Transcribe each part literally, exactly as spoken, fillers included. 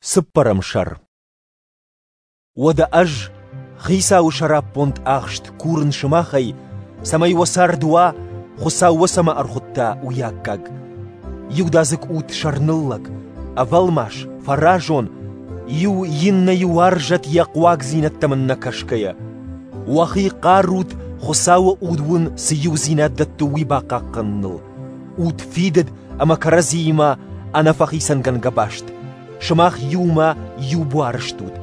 Цыппӕрӕм сӕр. Уӕдӕ ӕз, Хицауы сӕраппонд ахст, курын сымахӕй, цӕмӕй уӕ цард уа, Хуыцау уӕ цӕмӕ ӕрхуыдта, уый аккаг. Иудадзыг ут сӕрныллӕг, ӕвӕлмас, фӕразон, иу иннӕйы уарзӕд йӕ хъуагдзинӕдтӕм ын нӕ кӕсгӕйӕ. Уӕхи хъарут, Хуыцауы уд уын цы иудзинад дӕтты, уый бахъахъхъӕныныл. Ут фидыд ӕмӕ кӕрӕдзиимӕ ӕнӕфӕхицӕнгӕнгӕ баст. Сымах иумӕ иу буар стут.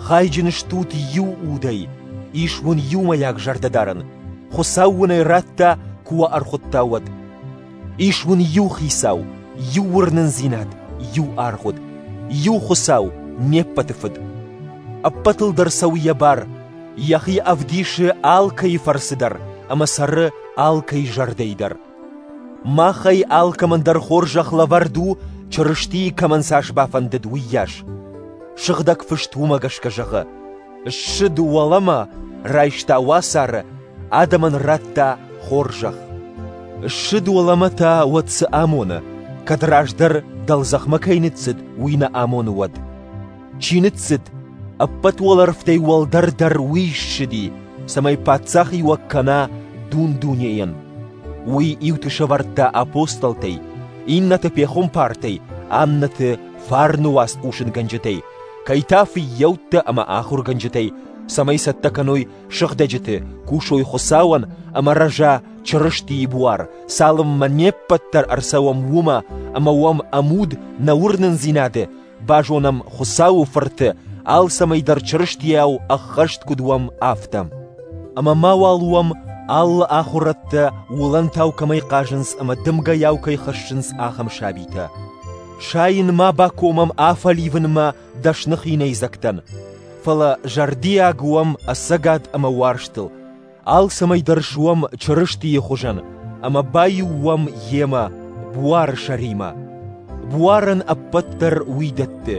Хайджын стут иу удӕй, ис уын иумӕйаг зӕрдӕдарӕн. Хуыцау уын ӕй радта, куы уӕ ӕрхуыдта, уӕд. Ис уын иу Хицау, иу уырнындзинад, иу аргъуыд, иу Хуыцау, не ппӕты Фыд. Ӕппӕтыл дӕр цӕуы йӕ бар, йӕхи ӕвдисы алкӕйы фӕрцы дӕр ӕмӕ цӕры алкӕй зӕрдӕйы дӕр. Махӕй алкӕмӕн дӕр хорзӕх лӕвӕрд у, Чырыстийы кӕмӕн цас бафӕндыд, уыйас. Сыгъдӕг фыст уымӕ гӕсгӕ зӕгъы: «Ссыд уӕлӕмӕ, райста уацары, адӕмӕн радта хорзӕх». Ссыд уӕлӕмӕ та уӕд цы амоны, кӕд раздӕр дӕлдзӕхмӕ кӕй ныццыд, уый нӕ амоны уӕд? Чи ныццыд, ӕппӕт уӕлӕрвтӕй уӕлдӕр дӕр уый ссыди, цӕмӕй паддзахиуӕг кӕна дун-дунейӕн. Уый иуты сӕвӕрдта апостолтӕй, иннӕты пехуымпартӕй, аннӕты фарны уац хъусынгӕнджытӕй, кӕй та фыййӕуттӕ ӕмӕ ахуыргӕнджытӕй, цӕмӕй цӕттӕ кӕной сыгъдӕджыты, кусой Хуыцауӕн ӕмӕ рӕза Чырыстийы буар, цалынмӕ не ппӕт дӕр ӕрцӕуӕм уымӕ ӕмӕ уӕм ӕмуд нӕ уырнындзинады, базонӕм Хуыцауы Фырты, алцӕмӕй дӕр Чырыстийау ӕххӕст куыд уӕм, афтӕ. Ӕмӕ мауал уӕм алы ахуырӕдтӕ уылӕнтау кӕмӕй хъазынц ӕмӕ дымгӕйау кӕй хӕссынц, ахӕм сабитӕ. Сайын ма бакомӕм афӕливынмӕ дӕсны хинӕйдзӕгтӕн, фӕлӕ зӕрдиаг уӕм ӕцӕгад ӕмӕ уарзтыл, алцӕмӕй дӕр суӕм Чырыстийы хуызӕн ӕмӕ баиу уӕм йемӕ, буары сӕримӕ. Буарӕн ӕппӕт дӕр уый дӕтты.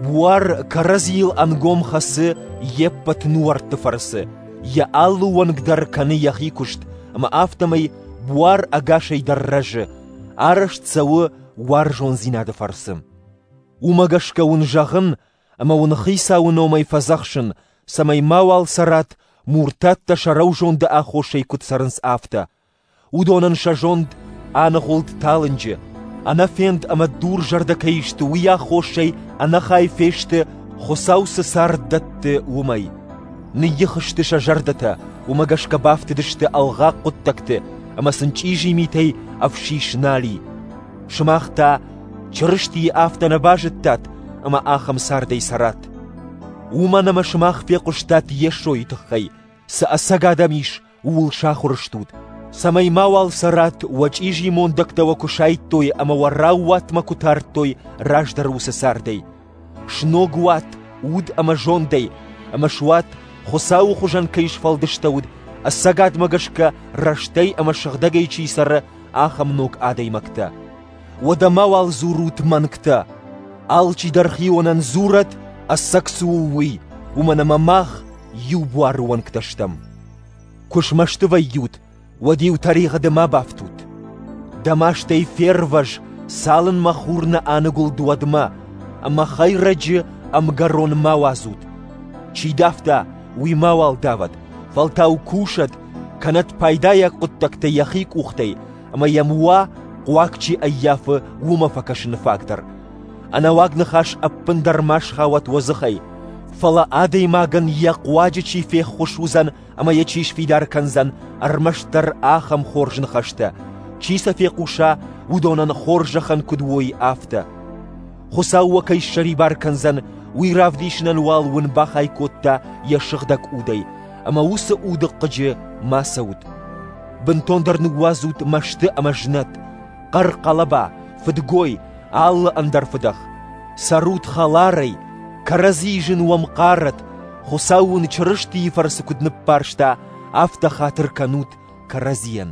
Буар кӕрӕдзийыл ӕнгом хӕцы йе ппӕт нуӕртты фӕрцы, йӕ алы уӕнг дӕр кӕны йӕхи куыст, ӕмӕ афтӕмӕй буар ӕгасӕй дӕр рӕзы, арӕзт цӕуы уарзондзинады фӕрцы. Уымӕ гӕсгӕ уын зӕгъын ӕмӕ уын Хицауы номӕй фӕдзӕхсын, цӕмӕй мауал цӕрат, муртаттӕ сӕ рӕузонды аххосӕй куыд цӕрынц, афтӕ. Уыдонӕн сӕ зонд аныгъуылд талынджы, ӕнӕфенд ӕмӕ дурзӕрдӕ кӕй сты, уый аххосӕй ӕнӕхай фесты, Хуыцау цы цард дӕтты, уымӕй. Ныйих сты сӕ зӕрдӕтӕ, уымӕ гӕсгӕ бафтыдысты ӕлгъаг хъуыддӕгты ӕмӕ сын чъизи митӕй ӕфсис нал и. Сымах та Чырыстийы афтӕ нӕ базыдтат ӕмӕ ахӕм цардӕй цӕрат. Уымӕн ӕмӕ сымах фехъуыстат Йесойы тыххӕй, цы ӕцӕгад ӕм ис, ууыл сахуыр стут, цӕмӕй мауал цӕрат, уӕ чъизи мондӕгтӕ уӕ куы сайдтой ӕмӕ уӕ раууатмӕ куы тардтой раздӕр уыцы цардӕй. Сног уат уд ӕмӕ зондӕй, ӕмӕ суат, Хуыцауы хуызӕн кӕй сфӕлдыстӕуыд, ӕцӕгадмӕ гӕсгӕ рӕстӕй ӕмӕ сыгъдӕгӕй чи цӕры, ахӕм ног адӕймӕгтӕ. Уӕдӕ мауал дзурут мӕнгтӕ. Алчидӕр хионӕн дзурӕд, ӕцӕг цы у, уый, уымӕн ӕмӕ мах иу буары уӕнгтӕ стӕм. Куы смӕсты вӕййут, уӕд-иу тӕригъӕды ма бафтут. Дӕ мастӕй фервӕз, цалынмӕ хур нӕ аныгуылд, уӕдмӕ, ӕмӕ хӕйрӕджы ӕмгӕрон ма уадзут. Чи давта, уый мауал давӕд, фӕлтау кусӕд, кӕнӕд пайдайаг хъуыддӕгтӕ йӕхи къухтӕй, ӕмӕ йӕм уа, хъуаг чи ӕййафы, уымӕ фӕкӕсыны фаг дӕр. Ӕнӕуаг ныхас ӕппындӕр ма схауӕд уӕ дзыхӕй, фӕлӕ адӕймагӕн йӕ хъуаджы чи феххуыс уыдзӕн ӕмӕ йӕ чи сфидар кӕндзӕн, ӕрмӕстдӕр ахӕм хорз ныхӕстӕ, чи сӕ фехъуса, уыдонӕн хорзӕхӕн куыд уой, афтӕ. Хуыцау уӕ кӕй ссӕрибар кӕндзӕн, уый равдисынӕн уал уын бахай кодта йӕ сыгъдӕг удӕй, ӕмӕ уыцы уды хъыджы ма цӕут. Бынтондӕр ныууадзут мӕсты ӕмӕ знӕт, хъӕр-хъӕлӕба, фыдгой, алы ӕндӕр фыдӕх. Цӕрут хӕларӕй, кӕрӕдзийы зын уӕм хъарӕд, Хуыцау уын Чырыстийы фӕрцы куыд ныббарста, афтӕ хатыр кӕнут кӕрӕдзийӕн.